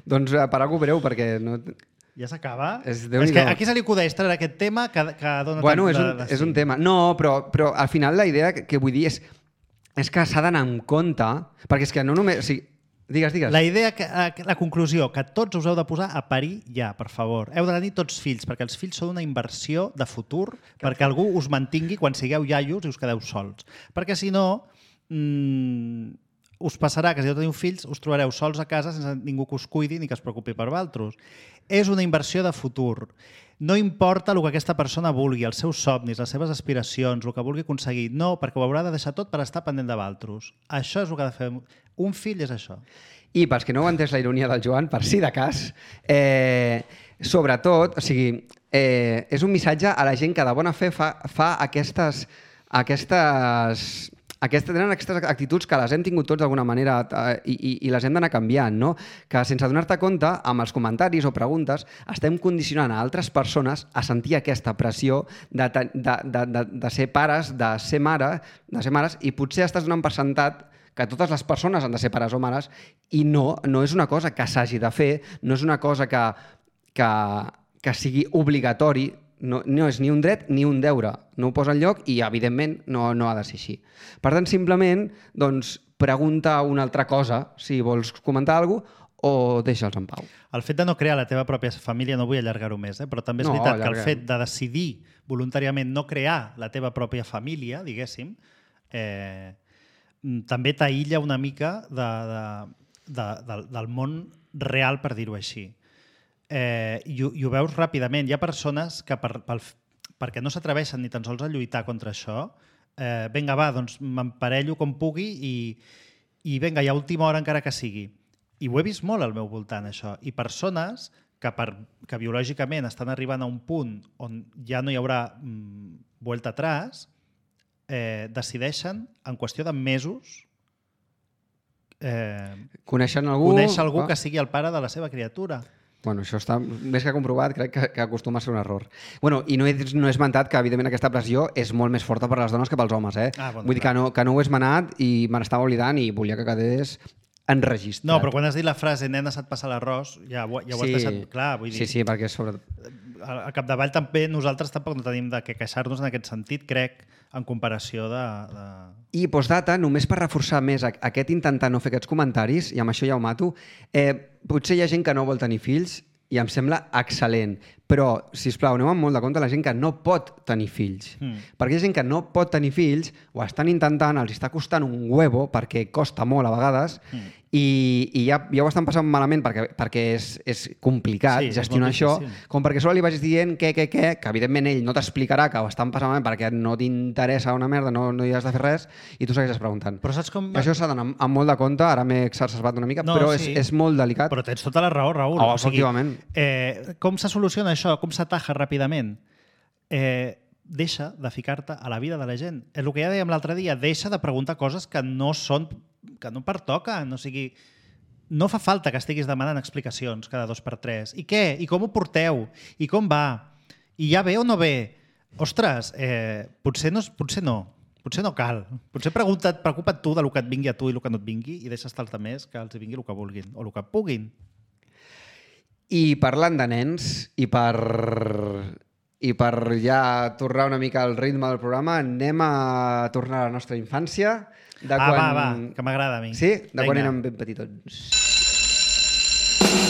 doncs per alguna breu, perquè... No... Ja s'acaba? És, és que aquí se li acudeix treure aquest tema que, que dona bueno, tant és un, de, de és un tema. No, però, però al final la idea que, que vull dir és, és que s'ha d'anar en compte, perquè és que no només... O sigui, digues, digues. La idea, que, la conclusió, que tots us heu de posar a parir ja, per favor. Heu de tenir tots fills, perquè els fills són una inversió de futur, que perquè algú us mantingui quan sigueu iaios i us quedeu sols. Perquè si no... Mmm, us passarà que si no teniu fills us trobareu sols a casa sense ningú que us cuidi ni que es preocupi per vosaltres. És una inversió de futur. No importa el que aquesta persona vulgui, els seus somnis, les seves aspiracions, el que vulgui aconseguir. No, perquè ho haurà de deixar tot per estar pendent de vosaltres. Això és el que ha de fer. Un fill és això. I pels que no heu entès la ironia del Joan, per si de cas, eh, sobretot, o sigui, eh, és un missatge a la gent que de bona fe fa, fa aquestes... aquestes Aquestes, tenen aquestes actituds que les hem tingut tots d'alguna manera eh, i, i les hem d'anar canviant, no? Que sense donar-te compte, amb els comentaris o preguntes, estem condicionant a altres persones a sentir aquesta pressió de, de, de, de, de ser pares, de ser mare, de ser mares, i potser estàs donant per sentat que totes les persones han de ser pares o mares, i no, no és una cosa que s'hagi de fer, no és una cosa que, que, que sigui obligatori. No, no és ni un dret ni un deure. No ho posa enlloc i, evidentment, no, no ha de ser així. Per tant, simplement, doncs, pregunta una altra cosa, si vols comentar alguna cosa, o deixa'ls en pau. El fet de no crear la teva pròpia família, no vull allargar-ho més, eh? Però també és no, veritat allarguem. que el fet de decidir voluntàriament no crear la teva pròpia família, diguéssim, eh, també t'aïlla una mica de, de, de, de, del món real, per dir-ho així. Eh, i, i ho veus ràpidament. Hi ha persones que per, pel, perquè no s'atreveixen ni tan sols a lluitar contra això, eh, vinga, va, doncs m'emparello com pugui i, i vinga, i a última hora encara que sigui. I ho he vist molt al meu voltant, això. I persones que, per, que biològicament estan arribant a un punt on ja no hi haurà mm, vuelta atrás, eh, decideixen, en qüestió de mesos, eh, coneixen algú, conèixer algú que sigui el pare de la seva criatura. Bueno, això està més que comprovat, crec que, que acostuma a ser un error. Bueno, i no he, no he esmentat que, evidentment, aquesta pressió és molt més forta per a les dones que pels homes, eh? Ah, bon, Vull dir que no, que no ho he esmenat i me n'estava oblidant i volia que quedés enregistrat. No, però quan has dit la frase nena, se't passa l'arròs, ja, ho, ja ho sí, has deixat clar. Vull dir, sí, sí, perquè és sobre... al al capdavall també nosaltres tampoc no tenim de què queixar-nos en aquest sentit, crec, en comparació de... de... I postdata, només per reforçar més a- aquest intentar no fer aquests comentaris, i amb això ja ho mato, eh, potser hi ha gent que no vol tenir fills i em sembla excel·lent, però, sisplau, aneu amb molt de compte la gent que no pot tenir fills. Mm. Perquè hi ha gent que no pot tenir fills, ho estan intentant, els està costant un huevo, perquè costa molt a vegades, mm. i, i ja, ja ho estan passant malament perquè, perquè és, és complicat Sí, és gestionar molt això, difícil. com perquè solo li vagis dient què, què, què, que evidentment ell no t'explicarà que ho estan passant malament perquè no t'interessa una merda, no, no hi has de fer res, i tu segueixes preguntant. Però saps com... Això s'ha d'anar amb, amb molt de compte, ara m'he exacerbat una mica, No, però sí. és, és molt delicat. Però tens tota la raó, Raül. Oh, efectivament. Eh, com se soluciona això? Com s'ataja ràpidament? Eh, deixa de ficar-te a la vida de la gent. És el que ja dèiem l'altre dia. Deixa de preguntar coses que no són, que no pertoquen. O sigui, no fa falta que estiguis demanant explicacions cada dos per tres. I què? I com ho porteu? I com va? I ja ve o no ve? Ostres, eh, potser, no, potser no. Potser no cal. Potser pregunta't, preocupa't tu del que et vingui a tu i el que no et vingui i deixa estar els altres que els vingui el que vulguin o el que puguin. I parlant de nens, i per, i per ja tornar una mica al ritme del programa, anem a tornar a la nostra infància. De Ah, quan... va, va, que m'agrada a mi. Sí? De quan Vinga. érem ben petitons.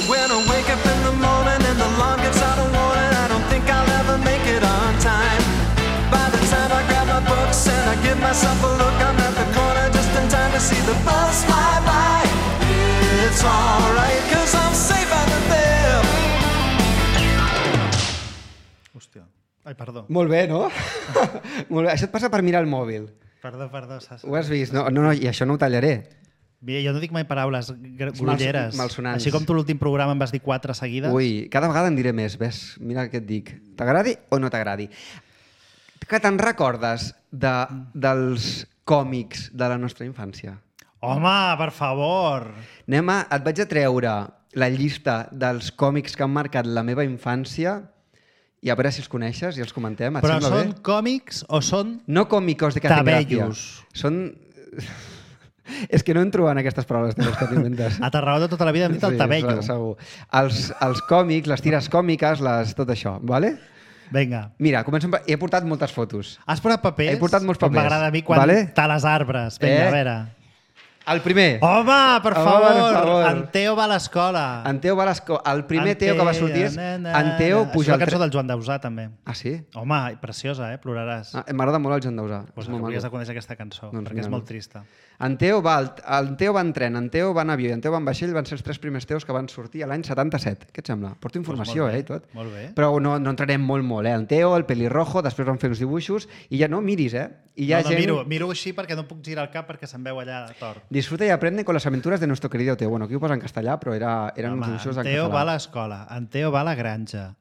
When I wake up in the morning and the alarm gets out of warning, I don't think I'll ever make it on time. By the time I grab my books and I give myself a look, I'm at the corner just in time to see the bus fly by. It's alright, cause I'm safe out there. Hòstia. Ai, perdó. Molt bé, no? Molt bé. Això et passa per mirar el mòbil. Perdó, perdó. Sasa. Ho has vist? No, no, no, i això no ho tallaré. Mira, jo no dic mai paraules gr- grolleres. malsonants. Així com tu l'últim programa em vas dir quatre seguides. Ui, cada vegada en diré més, ves? Mira què et dic. T'agradi o no t'agradi? Que te'n recordes de, dels còmics de la nostra infància? Home, per favor! Anem a, et vaig a treure la llista dels còmics que han marcat la meva infància i a veure si els coneixes i els comentem. Et Però sembla són bé? còmics o són... No còmicos de que hacen gràcia. Tabellos. Són... És que no entro en aquestes paraules teves que t'inventes. A Tarragona tota la vida hem dit el tabello. se- segur. Els, els còmics, les tires còmiques, les, tot això, vale? Vinga. Mira, començo amb... He portat moltes fotos. Has posat papers? He portat molts Com papers. m'agrada a mi quan Vale? tales arbres. Vinga, Eh? a veure. El primer. Home, per Home, favor! per favor. En Teo va a l'escola. En Teo va a l'escola. El primer En Teo que va sortir és... na, na, En Teo na. puja Això és la al cançó tren. del Joan Dausà, també. Ah, sí? Home, preciosa, eh? Ploraràs. Ah, M'agrada molt el Joan Dausà. Pues És molt hauries de maco. conèixer aquesta cançó, Doncs perquè mira, és no. molt trista. En Teo va, al- en Teo va en tren, en Teo va en avió i en Teo va en vaixell van ser els tres primers Teos que van sortir a l'any setanta-set. Què et sembla? Porto informació, molt bé, eh, i tot. molt bé. Però no, no entrarem molt, molt, eh? En Teo, el pelirrojo, després van fer uns dibuixos i ja no miris, eh? I hi ha no, no, gent... miro, miro així perquè no puc girar el cap perquè se'm veu allà tort. Disfruta y aprende con las aventuras de nuestro querido Teo. Bueno, aquí ho posa en castellà, però era, eren uns Home, dibuixos en en Teo va a català. l'escola, en Teo va a la granja,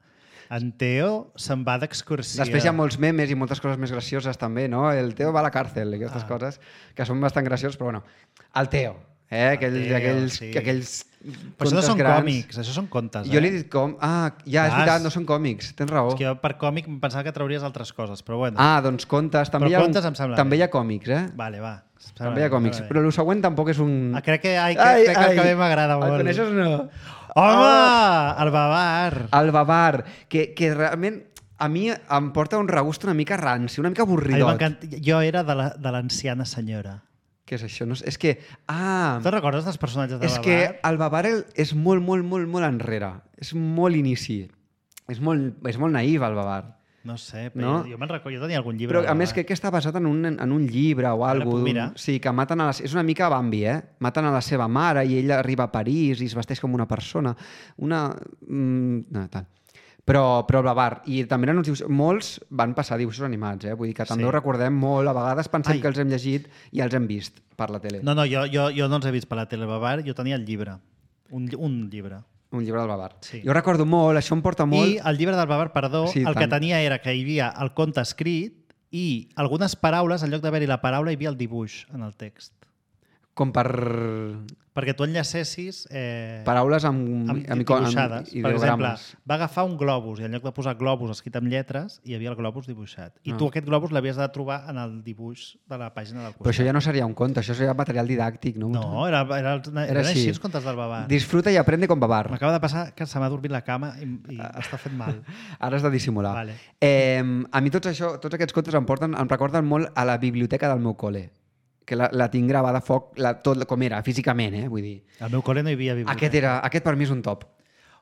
en Teo se'n va d'excursió. Després hi ha molts memes i moltes coses més gracioses també, no? El Teo va a la càrcel i aquestes Ah. coses que són bastant gracioses, però bueno. El Teo, eh? Aquells, Teo, aquells, sí. aquells Però això no contes són grans. còmics, això són contes. Jo eh? li he dit com... Ah, ja, és Vas. veritat, no són còmics, tens raó. És que jo per còmic em pensava que trauries altres coses, però bueno. Ah, doncs contes. També, Però hi ha, contes em sembla també bé. hi ha còmics, eh? Vale, va. També hi ha còmics. Però el següent tampoc és un... Ah, crec que, ai, crec, crec que el que a mi m'agrada molt. El coneixes o no? Home, el Babar. El Babar, que, que realment a mi em porta un regust una mica ranci, una mica A mi avorridot. m'encanta. Jo era de la- de l'anciana senyora. Què és això? No, és és que... Ah, Te'n recordes dels personatges de és Babar? que el Babar el- és molt, molt, molt, molt enrere. És molt inici. És molt, és molt naïf, el Babar. No sé, però No? jo, jo me'n recordo, jo tenia algun llibre. Però, de a més, Babar. crec que està basat en un, en un llibre o Ara alguna puc cosa. mirar? Sí, que maten a la... És una mica Bambi, eh? Maten a la seva mare i ella arriba a París i es vesteix com una persona. Una... Mm, no, tal. Però, però el Babar. I també eren uns dibuixos... Molts van passar dibuixos animats, eh? Vull dir que també Sí. ho recordem molt. A vegades pensem Ai. que els hem llegit i els hem vist per la tele. No, no, jo, jo, jo no els he vist per la tele Babar, jo tenia el llibre. Un, lli- un llibre. Un llibre del Babar. Sí. Jo recordo molt, això em porta molt... I el llibre del Babar, perdó, Sí, el que tant. tenia era que hi havia el conte escrit i algunes paraules, en lloc d'haver-hi la paraula, hi havia el dibuix en el text. Com per... perquè tu enllacessis... Eh, Paraules amb, amb, amb, dibuixades. amb Per exemple, ideogrames. va agafar un globus i en lloc de posar globus escrit amb lletres, hi havia el globus dibuixat. I Ah. tu aquest globus l'havies de trobar en el dibuix de la pàgina del costat. Però això ja no seria un conte, això seria material didàctic, no? No, era, era, era, Era era així així. els contes del Babar. Disfruta i aprende com babar. M'acaba de passar que se m'ha dormit la cama i, i m'està fent mal. Ara has de dissimular. Vale. Eh, a mi tots, això, tots aquests contes em, porten, em recorden molt a la biblioteca del meu col·le, que la, la tinc gravada a foc, la, tot com era, físicament, eh? Vull dir. Al meu col·le no hi havia biblioteca. Aquest, era, aquest per mi és un top.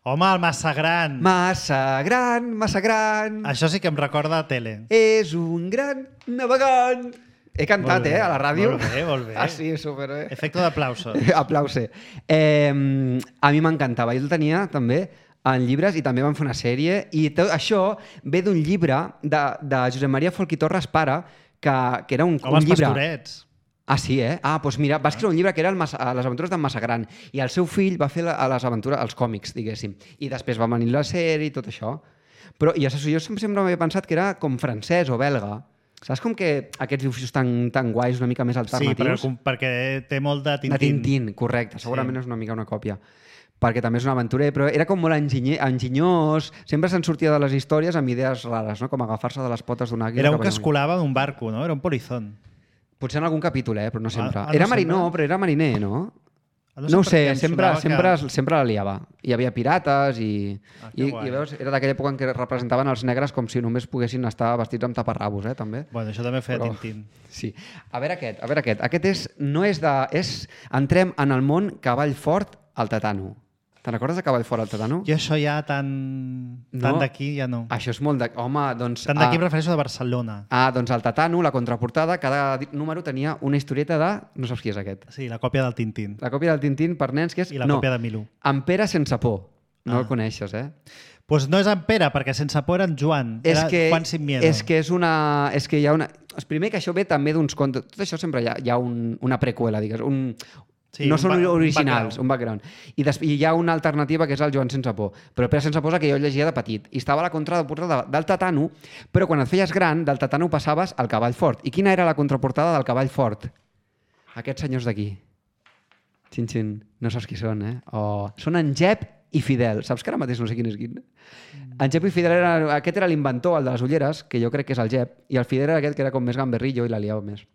Home, el massa gran! Massa gran, massa gran, Això sí que em recorda a tele. és un gran navegant. He cantat, Molt bé, eh, a la ràdio. molt bé, molt bé. Ah, sí, super, eh? Efecte d'aplausos. Aplause. Eh, a mi m'encantava. Jo el tenia també en llibres i també van fer una sèrie. I tot això ve d'un llibre de, de Josep Maria Folch i Torres pare, que, que era un, Com un els llibre... pastorets. Ah, sí, eh? Ah, doncs mira, va escriure un llibre que era el Massa, Les aventures d'en Massagran i el seu fill va fer la, les aventures, els còmics, diguéssim. I després va venir la sèrie i tot això. Però i això, jo sempre, sempre m'havia pensat que era com francès o belga. Saps com que aquests dibuixos tan, tan guais, una mica més Sí, alternatius? perquè, perquè té molt de Tintín. De Tintín, correcte. Segurament Sí. és una mica una còpia. Perquè també és un aventurer, però era com molt enginyer, enginyós, sempre se'n sortia de les històries amb idees rares, no? Com agafar-se de les potes d'un àguila. Era un cap que allà. es colava en un barco, no? Era un polizón. Potser en algun capítol, eh? Però no sempre. Ah, ah, no era sempre? marinó, però era mariner, no? Ah, No ho per sé, què em sempre, sonava sempre, que- sempre la liava. Hi havia pirates i... Ah, que I, guai. i veus, era d'aquella època en què representaven els negres com si només poguessin estar vestits amb taparrabos, eh, també. Bueno, això també feia Però- Tintín. Sí. A veure aquest, a veure aquest. Aquest és, no és de... És, entrem en el món cavall fort al tatano. Te'n recordes de cavall fort al tatano? Jo això ja tan, tan No? d'aquí ja no. Això és molt de... Home, doncs... Tant d'aquí ah, em refereixo de Barcelona. ah, doncs al tatano, la contraportada, cada di- número tenia una historieta de... No saps qui és aquest. Sí, la còpia del Tintín. La còpia del Tintín per nens, que és... I la no, còpia de Milú. En Pere sense por. No Ah. el coneixes, eh? Doncs pues no és en Pere, perquè sense por era en Joan. És Era que, Juan sin miedo. és que és una... És que hi ha una... És primer que això ve també d'uns contes... Tot això sempre hi ha, hi ha un, una preqüela, digues. Un, Sí, no un són ba- un originals, background. un background. I, des, I hi ha una alternativa que és el Joan sense por. Però el Pere sense por és el que jo llegia de petit. I estava a la contraportada del tatano, però quan et feies gran, del tatano passaves al cavall fort. I quina era la contraportada del cavall fort? Aquests senyors d'aquí. Xin, xin. No saps qui són, eh? Oh. Són en Jep i Fidel. Saps que ara mateix no sé quin és quin? En Jep i Fidel, era, aquest era l'inventor, el de les ulleres, que jo crec que és el Jep, i el Fidel era aquest que era com més gamberrillo i la liava més.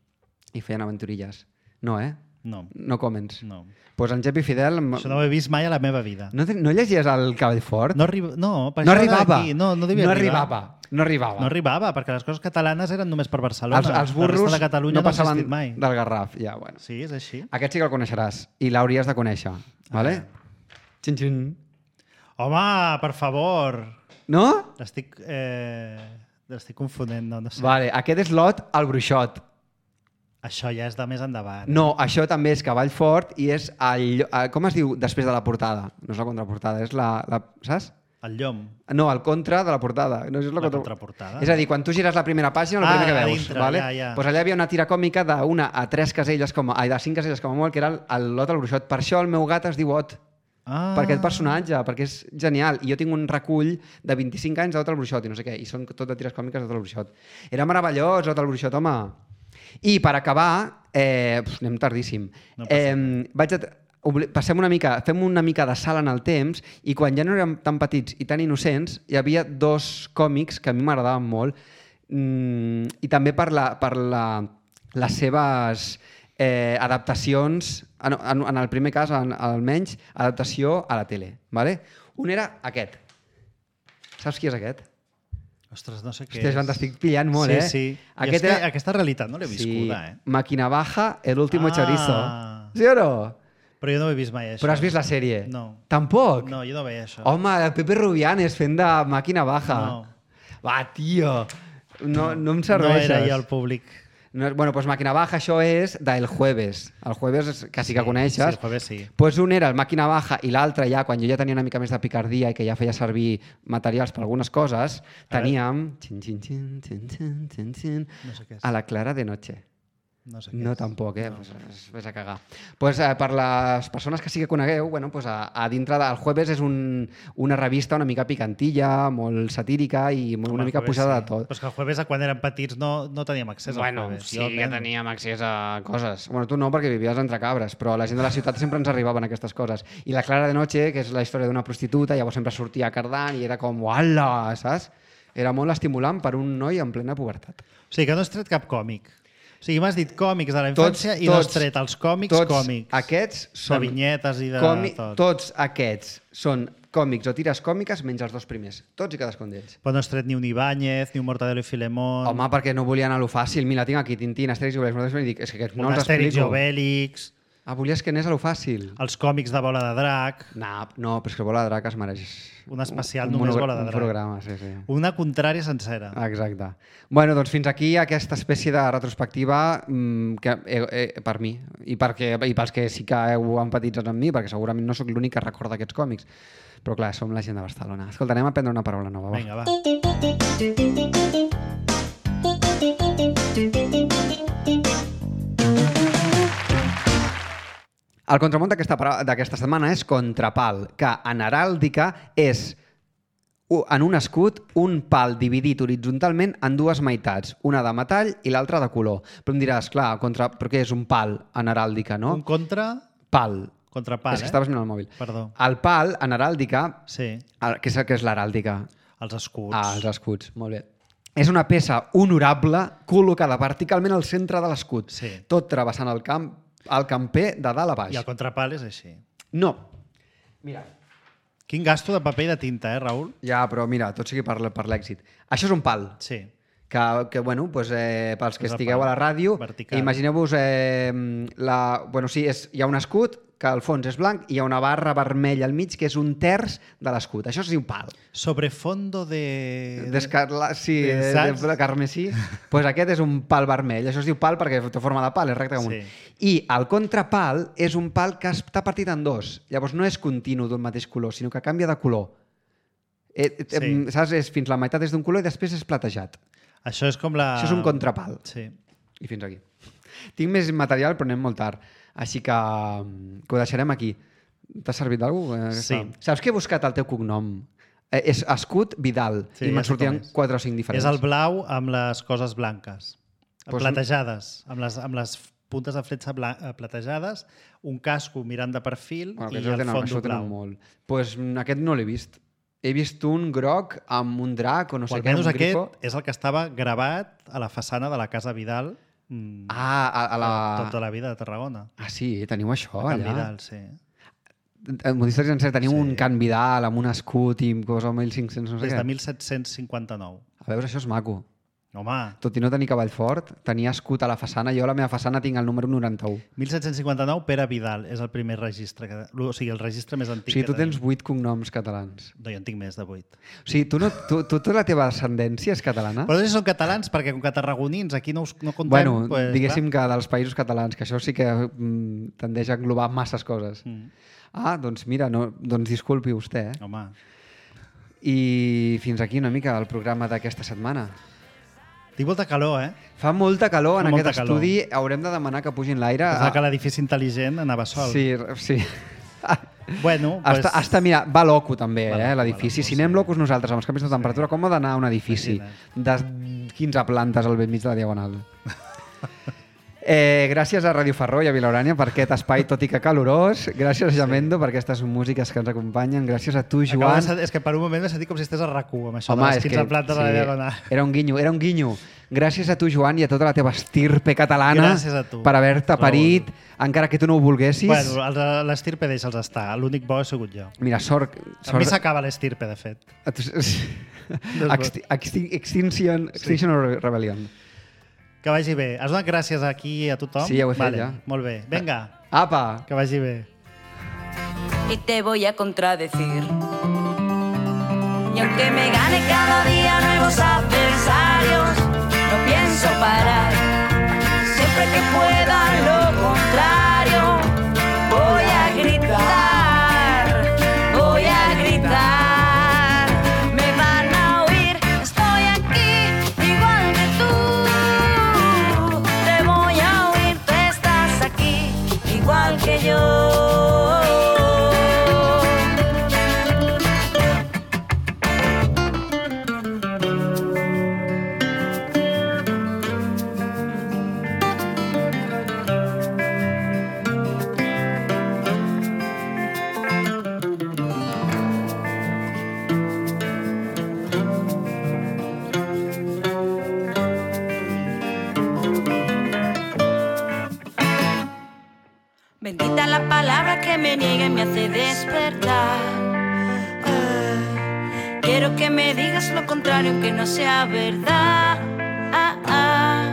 I feien aventurilles. No, eh? No, No comments. no. Doncs pues en Jep i Fidel... Això no ho he vist mai a la meva vida. No, te- no llegies el cavall fort? No, arriba, no, per no això era arribava. d'aquí. No, no, devia no arribar. arribava. No arribava. No arribava, perquè les coses catalanes eren només per Barcelona. els, els burros La resta de Catalunya no no, ha passaven existit mai. del Garraf. Ja, bueno. Sí, és així. Aquest sí que el coneixeràs i l'hauries de conèixer. Vale? Xin, xin. Home, per favor. No? L'estic eh, l'estic confonent, no, no sé. Vale, aquest és Lot el bruixot. Això ja és de més endavant. No, això també és cavall fort i és el, el, com es diu després de la portada? No és la contraportada, és la... la saps? El llom. No, el contra de la portada. No, és la, La contra- contraportada. És a dir, quan tu gires la primera pàgina, el Ah, primer que a veus. dintre, vale? ja, ja. Pues allà hi havia una tira còmica d'una a tres caselles, com a, ai, de cinc caselles com a molt, que era el, el Lot el bruixot. Per això el meu gat es diu Ot. Ah. Per aquest personatge, perquè és genial. I jo tinc un recull de vint-i-cinc anys d'Ot el bruixot i no sé què, i són tot de tires còmiques d'Ot el bruixot. Era meravellós, Ot el bruixot, home. I per acabar, eh, pf, anem tardíssim. No passa eh, vaig a... obli- Passem una mica, fem una mica de salt en el temps i quan ja no érem tan petits i tan innocents hi havia dos còmics que a mi m'agradaven molt mm, i també per, la, per la, les seves eh, adaptacions, en, en, en el primer cas en, almenys, adaptació a la tele. Vale? Un era aquest. Saps qui és aquest? Ostres, no sé què Hòstia, Joan, és. t'estic pillant molt, sí, eh? Sí, sí. Aquest que era- aquesta realitat no l'he viscuda, eh? Màquina baja, el último Ah. chorizo. Sí o no? Però jo no ho he vist mai, això. Però has vist la sèrie? No. Tampoc? No, jo no veia això. Home, el Pepe Rubianes fent de màquina baja. No. Va, tio. No, no em No serveixes. era jo el públic. No, bueno, pues Màquina Baja, això és del Jueves. El Jueves, és- que sí que coneixes. Sí, el jueves sí. Pues un era el Màquina Baja i l'altre ja, quan jo ja tenia una mica més de picardia i que ja feia servir materials per algunes coses, A teníem... Xin, xin, xin, xin, xin, xin, xin, No sé què és. a la Clara de Noche. No sé què No, és. tampoc, eh? No. Pues, es, ves a cagar. Pues, eh, per les persones que sí que conegueu, bueno, pues a, a dintre del Jueves és un, una revista una mica picantilla, molt satírica i molt, Home, una el mica Jueves pujada sí. de tot. Però és que el Jueves, quan érem petits, no, no teníem accés Bueno, al Jueves. sí Jo, que nen, teníem accés a coses. Bueno, tu no, perquè vivies entre cabres, però a la gent de la ciutat sempre ens arribaven aquestes coses. I la Clara de Noche, que és la història d'una prostituta, llavors sempre sortia cardant i era com, uala, saps? Era molt estimulant per un noi en plena pubertat. O sigui, que no has tret cap còmic. O sigui, m'has dit còmics de la Tots- infància i no has tots- tret els còmics Tots còmics. aquests són... De vinyetes i de còmi- tot. Tots aquests són còmics o tires còmiques menys els dos primers. Tots i cadascun d'ells. Però no has tret ni un Ibáñez, ni un Mortadelo i Filemón, Home, perquè no volia anar a lo fàcil. Mira, tinc aquí Tintín, Astèrix i Obelix. Nosaltres dic, és que aquests no un els Astèrix i explico. Obèlix, Ah, volies que anés a lo fàcil? els còmics de Bola de Drac, No, no, però és que Bola de Drac es mereix... un especial un només monogra- Bola de Un Drac. programa, sí, sí. Una contrària sencera. Exacte. Bueno, doncs fins aquí aquesta espècie de retrospectiva mmm, que, eh, eh, per mi i, perquè, i pels que sí que heu empatitzat amb mi, perquè segurament no sóc l'únic que recorda aquests còmics. Però clar, som la gent de Barcelona. Escolta, anem a aprendre una paraula nova. Va. Vinga, va. El contramont d'aquesta para- d'aquesta setmana és contrapal, que en heràldica és u- en un escut un pal dividit horitzontalment en dues meitats, una de metall i l'altra de color. Però em diràs, clar, contra... però què és un pal en heràldica, no? Un contra... Pal. Contrapal, és que eh? estaves mirant el mòbil. Perdó. El pal en heràldica, Sí, el- què és, què és l'heràldica? els escuts. Ah, els escuts, molt bé. És una peça honorable col·locada verticalment al centre de l'escut, Sí. tot travessant el camp, el camper de dalt a baix. I el contrapal és així. No. Mira, Quin gasto de paper i de tinta, eh, Raül? ja, però mira, tot sigui per, per l'èxit. Això és un pal, Sí. que, que bueno, pues, eh, pels que És el estigueu pal. a la ràdio, Vertical. imagineu-vos, eh, la, bueno, sí, és, hi ha un escut que al fons és blanc i hi ha una barra vermella al mig que és un terç de l'escut. Això es diu pal. Sobre fondo de... D'escarla... Sí, de- de, saps? de carmesí. Pues aquest és un pal vermell. Això es diu pal perquè té forma de pal, és recte com un. Sí. I el contrapal és un pal que està partit en dos. Llavors no és continu d'un mateix color, sinó que canvia de color. Eh, eh, Sí. Saps? És fins la meitat és d'un color i després és platejat. Això és com la... Això és un contrapal. Sí. I fins aquí. Tinc més material, però anem molt tard. Així que, mm, que ho deixarem aquí. T'ha servit d'alguna cosa? Sí. Saps que he buscat el teu cognom? Eh, és Escut Vidal. Sí, I ja me'n sé sortien com és. quatre o cinc diferents. És el blau amb les coses blanques. Pues- Platejades. Amb les, amb les puntes de fletxa blan- eh, platejades, un casco mirant de perfil Bueno, i aquests el tenen, fons això ho tenen blau. molt. Pues, mm, aquest no l'he vist. He vist un groc amb un drac o no O sé què, almenys un aquest grifo. és el que estava gravat a la façana de la Casa Vidal mm, Ah, a, a la... tota la vida de Tarragona. Ah, sí, teniu això A Can allà. Vidal, sí. En Modistes Sencer teniu Sí. un Can Vidal amb un escut i cosa mil cinc-cents, no sé Des què. de mil set-cents cinquanta-nou. A veure, això és maco. Home, Tot i no tenir cavall fort, tenia escut a la façana. Jo a la meva façana tinc el número noranta-u. mil set-cents cinquanta-nou, Pere Vidal és el primer registre, que, o sigui, el registre més O antic sigui, tu que tenim. tens vuit cognoms catalans. No, jo en tinc més de vuit. O sigui, tu, no, tu, tu, tu la teva ascendència és catalana? Però no sé si són catalans, perquè com que tarragonins aquí no, us, no contem... Bueno, pues, diguéssim que dels països catalans, que això sí que mm, tendeix a englobar masses coses. Mm. Ah, doncs mira, no, doncs disculpi vostè. Eh? clar, home, I fins aquí una mica el programa d'aquesta setmana. tinc molta calor, eh? Fa molta calor en Fa molta aquest calor. estudi. Haurem de demanar que pugin l'aire. Pensava que l'edifici intel·ligent anava sol. Ah. Sí, sí. Bueno, Pues... pues, Està, està, mira, va loco també, Va eh, loco, l'edifici. va loco, Si anem sí. locos nosaltres amb els canvis de temperatura, com ha d'anar un edifici de quinze plantes al vell mig de la Diagonal? Eh, gràcies a Ràdio Ferró i a Vilaurània per aquest espai, tot i que calorós. Gràcies a Jamendo per aquestes músiques que ens acompanyen. Gràcies a tu, Acabo Joan. de sentir- és que per un moment m'he sentit com si estigués a RAC u, amb això Home, de les és quinze que, plantes de la Diagonal. era un guinyo, era un guinyo. Gràcies a tu, Joan, i a tota la teva estirpe catalana Gràcies a tu, per haver-te Raül. parit, encara que tu no ho volguessis. Bueno, els de l'estirpe deixa'ls estar. L'únic bo he sigut jo. Mira, sort... A mi sort... s'acaba l'estirpe, de fet. Exti Extin Extinction, Extinction sí. Rebellion. Que vagi bé. Has donat gràcies aquí a tothom? Sí, ja ho he fet, vale, ja. Molt bé. Vinga, Apa! que vagi bé. Y te voy a contradecir. Y aunque me gane cada día nuevos adversarios, no pienso parar. Siempre que pueda lo contrario, voy a gritar, voy a gritar. Me van a oír, estoy aquí igual que tú. Te voy a oír. me niegue me hace despertar. Ah, quiero que me digas lo contrario aunque no sea verdad. Ah, ah,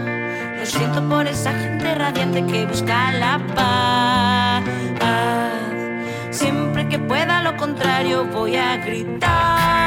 lo siento por esa gente radiante que busca la paz. Siempre que pueda lo contrario voy a gritar.